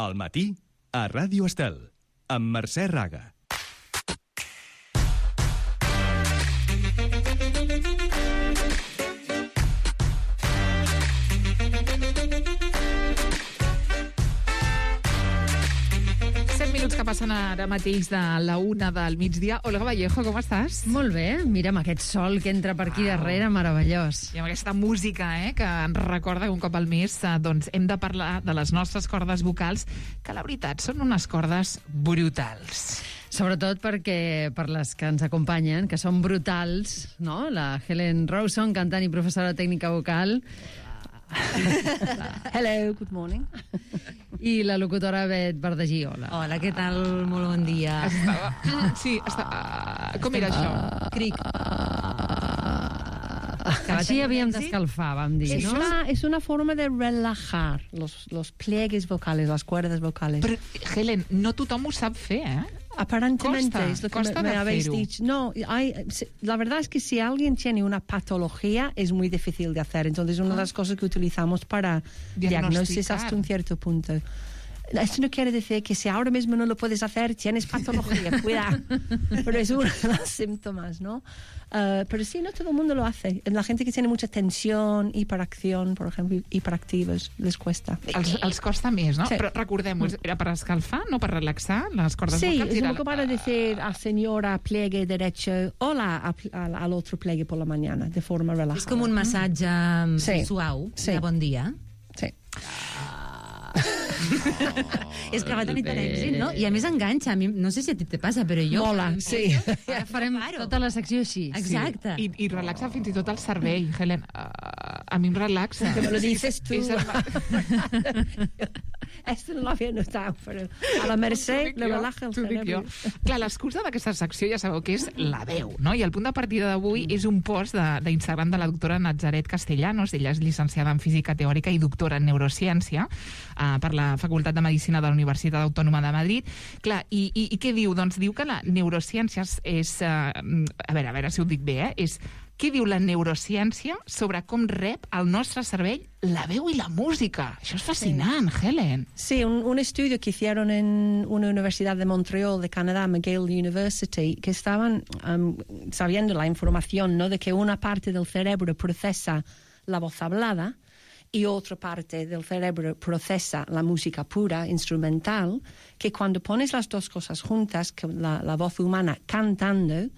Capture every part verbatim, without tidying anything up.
Al matí, a Ràdio Estel, amb Mercè Raga. Que passen ara mateix de la una del migdia. Olga Vallejo, com estàs? Molt bé, mira amb aquest sol que entra per aquí darrere, meravellós. I amb aquesta música eh, que ens recorda que un cop al mes eh, doncs hem de parlar de les nostres cordes vocals, que la veritat són unes cordes brutals. Sobretot perquè per les que ens acompanyen, que són brutals, no? La Helen Rawson, cantant i professora de tècnica vocal. Hello, good morning. I la locutora Bet Verdagí, hola. Hola, què tal? Molt bon dia. Estava... Sí, estava... Com era això? Cric. Així havíem d'escalfar, vam dir, Es no? una, es una forma de relajar los, los pliegues vocales, las cuerdas vocales. Però, Helen, no tothom ho sap fer, eh? Aparentemente Costa, es lo que costa me, me de habéis hacerlo. dicho. No, hay, la verdad es que si alguien tiene una patología es muy difícil de hacer. Entonces, una de las cosas que utilizamos para diagnosis hasta un cierto punto. Esto no quiere decir que si ahora mismo no lo puedes hacer, tienes patología, cuidado. Pero es uno de los síntomas, ¿no? Uh, pero sí, no todo el mundo lo hace. La gente que tiene mucha tensión, hiperacción, por ejemplo, hiperactivos, les cuesta. Els, els costa més, no? Sí. Però recordem-ho, era per escalfar, no per relaxar les cordes Sí, vocals? es Era- un poco para decir a señora pliegue derecho, hola a, a, al otro pliegue por la mañana, de forma relajada. És com un massatge Sí. suau, Sí. de bon dia. Sí. És que va tenir tant èxit, no? I a més enganxa. A mi, no sé si a ti te passa, però jo... Mola, sí. Ara farem tota la secció així. Exacte. I, i relaxa fins i tot el cervell, Helen. Uh, a mi em relaxa. Que me lo dices tú. És el... Esto no lo había notado, pero a la Mercè le relaja el T'ho dic jo. cerebro. Clar, l'excusa d'aquesta secció ja sabeu que és la veu, no? I el punt de partida d'avui és un post de- d'Instagram de, de la doctora Nazaret Castellanos. Ella és llicenciada en Física Teòrica i doctora en Neurociència uh, per la Facultat de Medicina de la Universitat Autònoma de Madrid. Clar, i, i, i què diu? Doncs diu que la neurociència és... és uh, a veure, a veure si ho dic bé, eh? És què diu la neurociència sobre com rep el nostre cervell la veu i la música? Això és fascinant, sí. Helen. Sí, un, un estudio que hicieron en una universidad de Montreal, de Canadá, McGill University, que estaban um, sabiendo la información, ¿no?, de que una parte del cerebro procesa la voz hablada y otra parte del cerebro procesa la música pura, instrumental, que cuando pones las dos cosas juntas, que la, la voz humana cantando,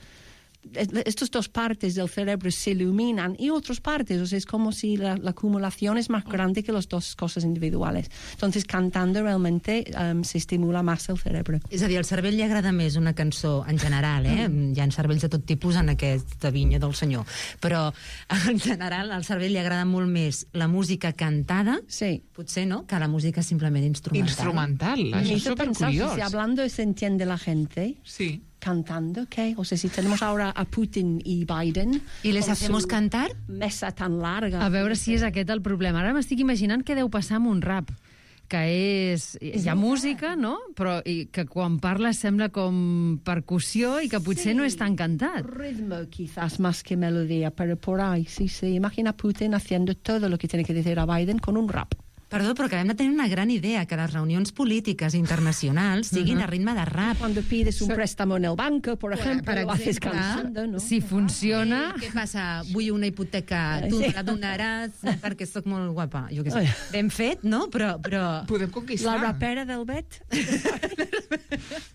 estas dos partes del cerebro se iluminan y otras partes, o sea, es como si la, la acumulación es más grande que las dos cosas individuales. Entonces, cantando realmente um, se estimula más el cerebro. És a dir, al cervell li agrada més una cançó en general, eh? Mm. Hi ha cervells de tot tipus en aquesta vinya del senyor. Però, en general, al cervell li agrada molt més la música cantada, Sí. potser, no?, que la música simplement instrumental. Instrumental, Me això és hizo pensar, supercuriós. si hablando se entiende la gente, Sí. cantando, ¿qué? O sea, si tenemos ahora a Putin y Biden... ¿Y les con hacemos su cantar? Mesa tan larga. A veure si és aquest el problema. Ara m'estic imaginant què deu passar amb un rap, que és... Hi ha música, no? Però i que quan parles sembla com percussió i que potser Sí. no és tan cantat. Ritmo quizás más que melodía, pero por ahí, sí, sí. Imagina a Putin haciendo todo lo que tiene que decir a Biden con un rap. Perdó, però acabem de tenir una gran idea, que les reunions polítiques internacionals siguin a ritme de rap. Cuando pides un préstamo en el banco, por ejemplo, per lo haces exemple, cantando, ¿no? Si funciona... Què passa? Vull una hipoteca, tu Sí. la donaràs perquè sóc molt guapa. Jo què sé. Ben fet, no? Però, però... Podem La conquistar. rapera del Bet.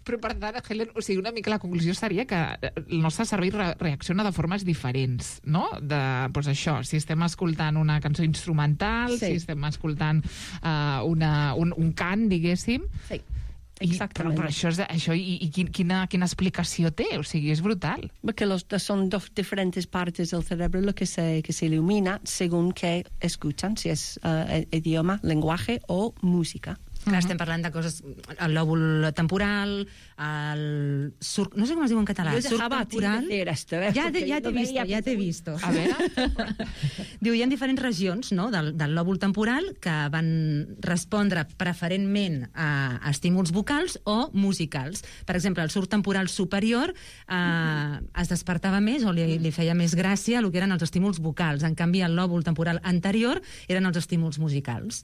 Però per tant, Helen, o sigui, una mica la conclusió seria que el nostre cervell re reacciona de formes diferents, no? De, doncs això, si estem escoltant una cançó instrumental, Sí. si estem escoltant uh, una, un, un cant, diguéssim. Sí, I, però, exactament. però això, és, això i, i quin- quina, quina explicació té? O sigui, és brutal. Porque los dos son dos diferentes partes del cerebro lo que se, que se ilumina según que escuchan, si es uh, idioma, lenguaje o música. Clar, estem parlant de coses... El lòbul temporal, el... Sur... No sé com es diu en català. Yo Surc dejaba a ti temporal. decir esto, ¿eh? Ja, Porque te, ja lo t'he vist, veía ja t'he muy- vist. A veure... Diu, hi ha diferents regions, no?, del, del lòbul temporal que van respondre preferentment a, a estímuls vocals o musicals. Per exemple, el surc temporal superior eh, es despertava més o li, li feia més gràcia el que eren els estímuls vocals. En canvi, el lòbul temporal anterior eren els estímuls musicals.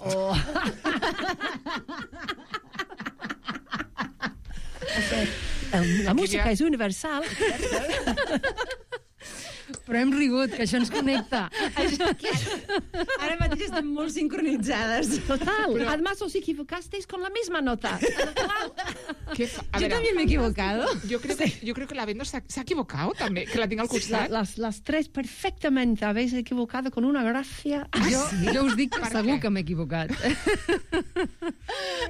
o... La música és universal. Però hem rigut, que això ens connecta. Ara mateix estem molt sincronitzades. Total. Pero... Además, os equivocasteis con la misma nota. ¿Qué fa... A Yo ver, también me he equivocado. Yo creo que, yo creo que la Bendo se ha, se ha equivocado también, que la tengo al costat. La, las, las tres perfectamente habéis equivocado con una gracia. Jo, jo us dic que Per segur què? que m'he equivocat.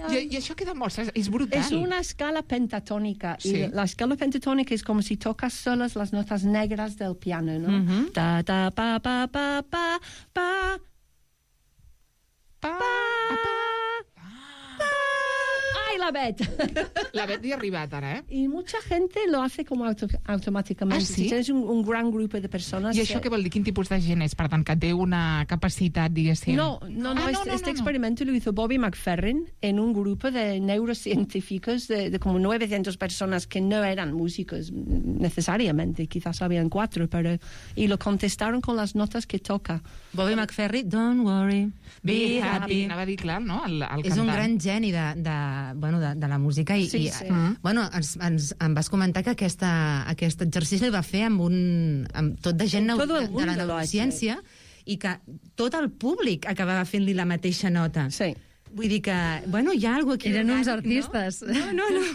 I, I això què demostra? És brutal. Es una escala pentatónica. Sí. Y la escala pentatónica es como si tocas solas las notas negras del piano, ¿no? Ujú. Ta, ta, pa, pa, pa, pa, pa, Pa, ¡Ay, la Bet! La Bet hi ha arribat ara, eh? Y mucha gente lo hace como auto- automáticamente. ¿Ah, sí? Si tienes un, un gran grupo de personas... I això que- què vol dir? Quin tipus de gent és? Per tant, que té una capacitat, diguéssim... No, no, no, Ah, este, no, este no, no. experimento lo hizo Bobby McFerrin en un grupo de neurocientíficos de, de como novecientas personas que no eran músicos necesariamente, quizás habían cuatro, pero y lo contestaron con las notas que toca. Bobby McFerrin, don't worry, be happy. Anava a dir, clar, no? El, el És un cantant. gran geni de, de, bueno, de, de la música i, Sí, i sí. bueno, ens, ens, em vas comentar que aquesta, aquest exercici el va fer amb, un, amb tot de gent neu, Todo el de, de la mundo lo ha neurociència i que tot el públic acabava fent-li la mateixa nota. Sí. Vull dir que, bueno, hi ha alguna cosa aquí. Eren uns orgànic, artistes. No, no, no.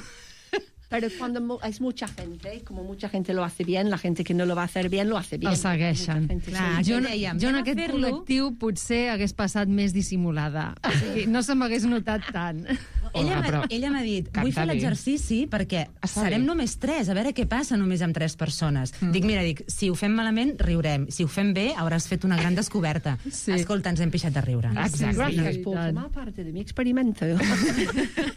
Pero cuando mu- es mucha gente, como mucha gente lo hace bien, la gente que no lo va a hacer bien lo hace bien. El segueixen. Mucha gente, Clar, sí. Jo, Aquí dèiem, jo en anem a aquest fer-lo. col·lectiu potser hagués passat més dissimulada. O sigui, no se m'hagués notat tant. Ella Hola, m'ha però ella m'ha dit, canta vull fer bé. l'exercici perquè Està serem bé. només tres, a veure què passa només amb tres persones. Mm. Dic, mira, dic, si ho fem malament, riurem. Si ho fem bé, hauràs fet una gran descoberta. Sí. Escolta, ens hem pixat de riure. Exacte. Gracias Sí, por tant. formar parte de mi experimento.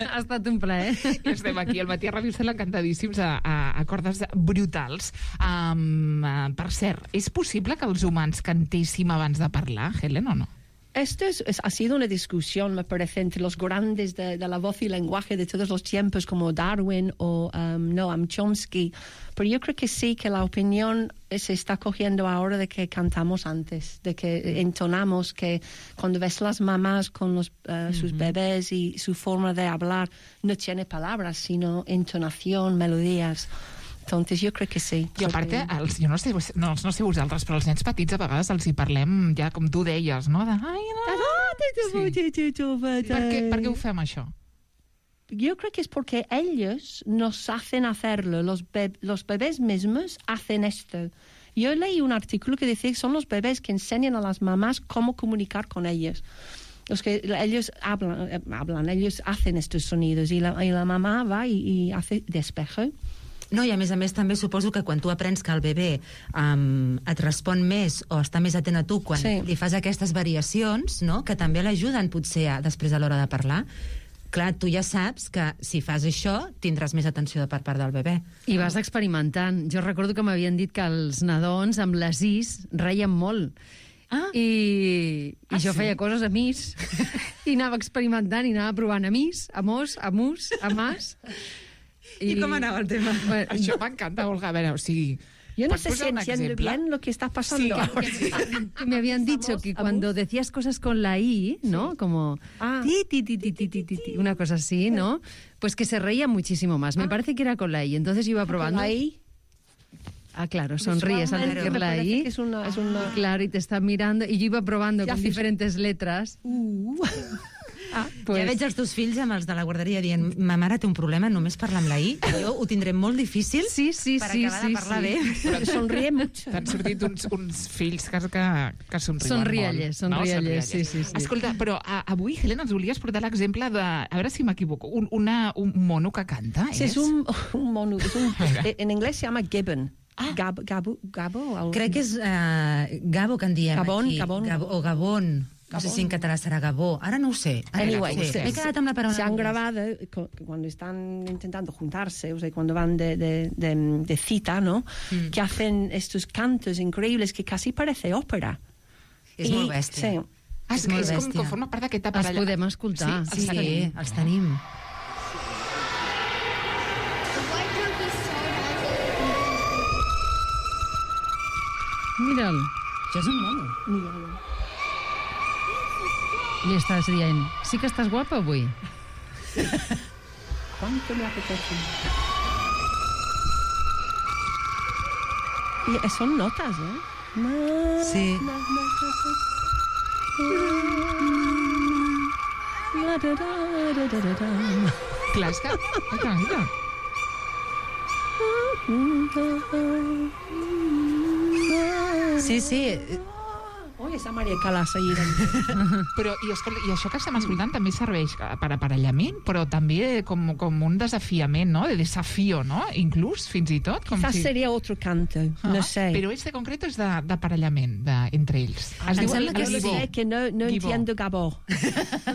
Ha estat un plaer. I estem aquí al matí a Ràdio Estel encantadíssims a, a, a cordes brutals. Um, uh, per cert, és possible que els humans cantéssim abans de parlar, Helen, o no? Esto es, es- ha sido una discusión, me parece, entre los grandes de, de la voz y lenguaje de todos los tiempos, como Darwin o um, Noam Chomsky. Pero yo creo que sí, que la opinión se está cogiendo ahora de que cantamos antes, de que entonamos, que cuando ves las mamás con los, uh, sus bebés y su forma de hablar, no tiene palabras, sino entonación, melodías. Entonces yo creo que sí. I a part, els, jo no sé, no, no sé vosaltres, però els nens petits a vegades els hi parlem ja com tu deies, no? De, ai, no. Sí. Per què, per què ho fem, això? Yo creo que es porque ellos nos hacen hacerlo, los, be- los bebés mismos hacen esto. Yo leí un artículo que dice que son los bebés que enseñan a las mamás cómo comunicar con ellos. Los que ellos hablan, eh, hablan ellos hacen estos sonidos y la, y la mamá va y, y hace despejo. No, i a més a més també suposo que quan tu aprens que el bebè um, et respon més o està més atent a tu quan Sí. li fas aquestes variacions, no? Que també l'ajuden potser a, després a l'hora de parlar, clar, tu ja saps que si fas això tindràs més atenció per part del bebè. I vas experimentant. Jo recordo que m'havien dit que els nadons amb les is reien molt. Ah. I, i Ah, jo sí? feia coses a mis i anava experimentant i anava provant a mis, a mos, a mus, a mas. I com anava el tema? Bueno, Això m'encanta, Olga. A veure, o sigui... Yo no pots sé si posar un entiendo exemple? bien lo que está pasando Sí, ahora. que me habían dicho que cuando decías cosas con la I, ¿no? Como Ah. ti, ti, ti, ti, ti, ti, ti, ti, una cosa así, ¿no? Pues que se reía muchísimo más. Me parece que era con la I. Entonces yo iba probando. Ahí, Ah, claro, sonríes al visualmente decir me la parece I. que es una... Es una... Claro, y te está mirando. Y yo iba probando Ya con haces- diferentes letras. Ah, Pues, Ja veig els teus fills amb els de la guarderia dient ma mare té un problema només parlar amb la I, jo ho tindré molt difícil sí, sí, per sí, acabar sí, de parlar sí. bé. sonríe mucho. T'han sortit uns, uns fills que, que, que somriuen Són molt. riallers, són no? riallers, sí, sí, sí. Escolta, però a, avui, Helen, ens volies portar l'exemple de... A veure si m'equivoco. Un, una, un mono que canta, Sí, és? es un, un mono. Es un, Venga. en inglés se llama gibbon. Ah. Gab, gabo, gabo, algo Crec que és uh, Gabo que en diem Gabon, aquí. Gabon. Gabo, o Gabon. No sé si en català serà Gabó. Ara no ho sé. Ara Anyway, no ho sé. sí. M'he quedat amb la paraula. Se han en anglès. grabado co- cuando están intentando juntarse, o sea, cuando van de, de, de, de cita, ¿no? Mm. Que hacen estos cantos increíbles que casi parece ópera. És I- molt bèstia. Sí. Ah, és, És molt és com, bèstia. com forma part d'aquest Els aparell. podem escoltar. Sí, Sí, els tenim. els tenim. Mira'l. Això és un mono. Mira. Li estàs dient, sí que estàs guapa avui? ¿Cuánto me apetece? Y son notas, ¿eh? Ma, Sí. ma, ma, ma, ma, da, da, da, da, da, da. Clar, és que... Ai, que maca. Sí, sí. Oi, esa Maria Callas ahí. Però, i, escolta, i això que estem escoltant també serveix per aparellament, però també com, com un desafiament, no? De desafío, no? Inclús, fins i tot. Com Quizás si... sería otro canto, Ah, no sé. Però este concreto és de- d'aparellament de, entre ells. Ah, em sembla que Yo sí. sé que no, no Guibó. entiendo Gabó.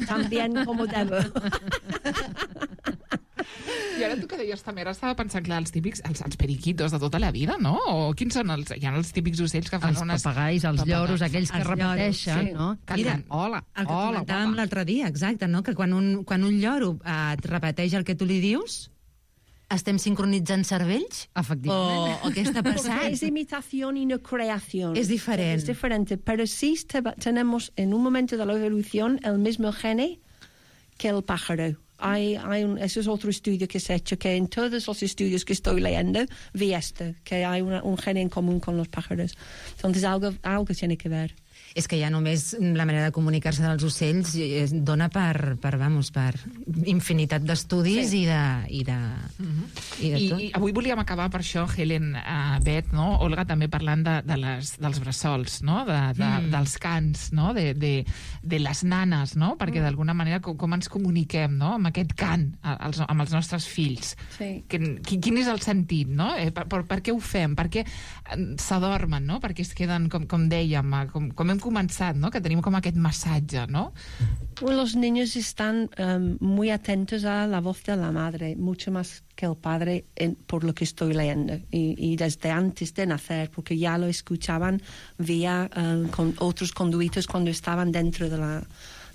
Tan bien como debo. I ara tu que deies també, ara estava pensant, clar, els típics, els, els periquitos de tota la vida, no? O quins són els... Hi ha els típics ocells que fan Els unes... papagais, els lloros, aquells que Els lloros, repeteixen, sí. no? Que Mira, diuen, hola, El que hola, comentàvem guapa. l'altre dia, exacte, no? Que quan un, quan un lloro eh, et repeteix el que tu li dius, estem sincronitzant cervells? O, Efectivament. o què està Porque passant? es imitación y no creación. Es diferente. Es diferente, pero sí te- tenemos en un momento de la evolución el mismo gene que el pájaro. Hay, hay un, eso es otro estudio que se ha hecho, que en todos los estudios que estoy leyendo vi esto, que hay una, un gen en común con los pájaros. Entonces algo, algo tiene que ver. És que ja només la manera de comunicar-se dels ocells eh, dona per, per, vamos, per infinitat d'estudis Sí. i de, i de, i de I, tot. I avui volíem acabar per això, Helen, uh, Bet, no? Olga, també parlant de, de les, dels bressols, no? De, de, mm. dels cants, no? De, de, de les nanes, no? Perquè d'alguna manera com, com ens comuniquem, no? Amb aquest cant a- als, amb els nostres fills. Sí. Que, quin, quin és el sentit, no? Eh, per, per, per què ho fem? Per què eh, s'adormen, no? Per què es queden, com, com dèiem, eh, com, com hem començat, no? Que tenim com aquest massatge, no? Bueno, los niños están um, muy atentos a la voz de la madre, mucho más que el padre, en, por lo que estoy leyendo. Y, y desde antes de nacer, porque ya lo escuchaban vía um, con otros conduitos cuando estaban dentro de la,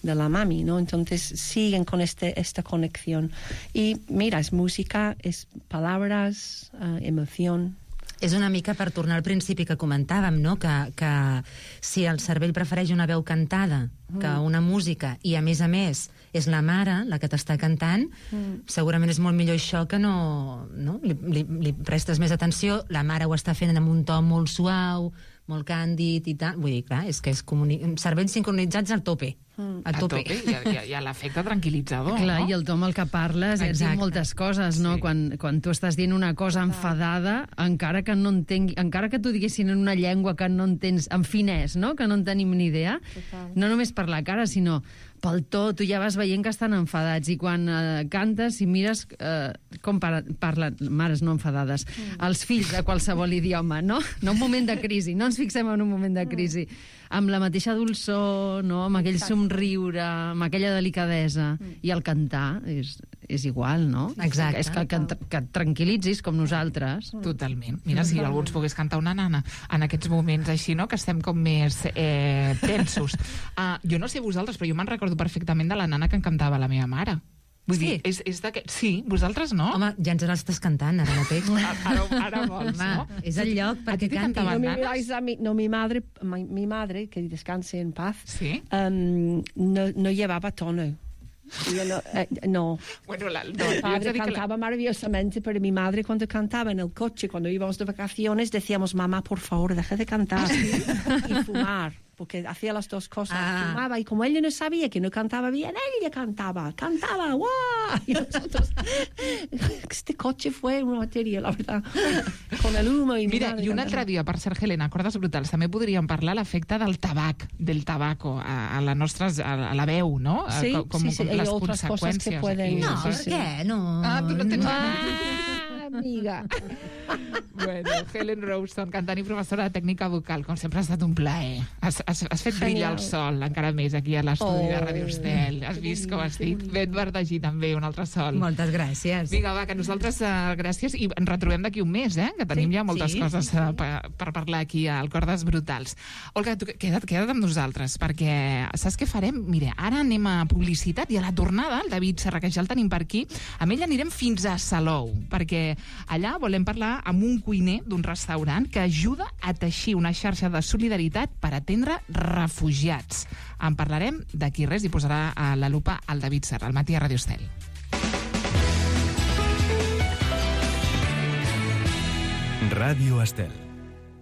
de la mami, ¿no? Entonces siguen con este, esta conexión. Y mira, es música, es palabras, uh, emoción. És una mica per tornar al principi que comentàvem, no? Que, que si el cervell prefereix una veu cantada que una música, i a més a més és la mare la que t'està cantant, mm. segurament és molt millor això que no... no? Li, li, li prestes més atenció, la mare ho està fent amb un to molt suau, molt càndid i tal. Vull dir, clar, és que és comuni... cervells sincronitzats al tope. Mm. A tope. A tope. I, i, i l'efecte tranquil·litzador, Clar, no? i el to amb el que parles és dir Exacte. moltes coses, no? Sí. Quan, quan tu estàs dient una cosa enfadada, encara que no entengui, encara que t'ho diguessin en una llengua que no entens, en finès, no? Que no en tenim ni idea, Total. no només per la cara, sinó pel to, tu ja vas veient que estan enfadats, i quan eh, cantes i mires eh, com para, parlen, mares no enfadades, mm. els fills de qualsevol idioma, no? No un moment de crisi, no ens fixem en un moment de crisi, amb la mateixa dolçor, no? Amb aquell Exacte. somriure, amb aquella delicadesa, mm. i el cantar és, és igual, no? Exacte. És que, que, que et tranquil·litzis com nosaltres. Totalment. Mira, si algú ens pogués cantar una nana en aquests moments així, no?, que estem com més eh, tensos. Uh, jo no sé vosaltres, però jo me'n recordo perfectament de la nana que em cantava la meva mare. Vull Sí? dir, és, és de que... Sí, vosaltres no? Home, ja ens l'estàs cantant ara mateix. Ara, ara vols, Home, no? és el lloc A perquè ti te canti. cantaven No me nanas? miráis a mí, no, mi madre, mi, mi madre, que descanse en paz, Sí? um, no, no llevaba tono. Yo no, eh, no. Bueno, la, no, Mi jo haig padre de dir que la, cantaba maravillosamente, pero mi madre cuando cantaba en el coche, cuando íbamos de vacaciones, decíamos, mamá, por favor, deja de cantar y fumar, porque hacía las dos cosas. Ah. Fumaba y como ella no sabía que no cantaba bien, ella cantaba, cantaba, ¡guau! Y nosotros, este coche fue una materia, la verdad, con el humo y mi Mira, madre i un cantaba. altre dia, per cert, Helena, cordes brutals, també podríem parlar l'efecte del tabac, del tabaco, a, a, la nostra, a, a la veu, no? A, Sí, com, sí, sí, com hay les otras cosas que conseqüències pueden- aquí. No, Sí, per sí. què? No. Ah, tu no tens... Ah, amiga. Bueno, Helen Rowson, cantant i professora de tècnica vocal, com sempre ha estat un plaer. Has, has, has fet brillar el Genial. sol encara més aquí a l'estudi Oh, de Radio Estel. Has que vist bonic, com has que dit? bonic. Ben verdegir també, un altre sol. Moltes gràcies. Vinga, va, que nosaltres, uh, gràcies, i ens retrobem d'aquí un mes, eh? Que tenim Sí, ja moltes sí, coses sí, uh, per, per parlar aquí al Cordes Brutals. Olga, tu queda't, queda't amb nosaltres, perquè saps què farem? Mira, ara anem a publicitat i a la tornada, el David Serra, que ja el tenim per aquí, amb ell anirem fins a Salou, perquè Allà volem parlar amb un cuiner d'un restaurant que ajuda a teixir una xarxa de solidaritat per atendre refugiats. En parlarem d'aquí res i posarà a la lupa el David Serra, al matí a Ràdio Estel. Ràdio Estel.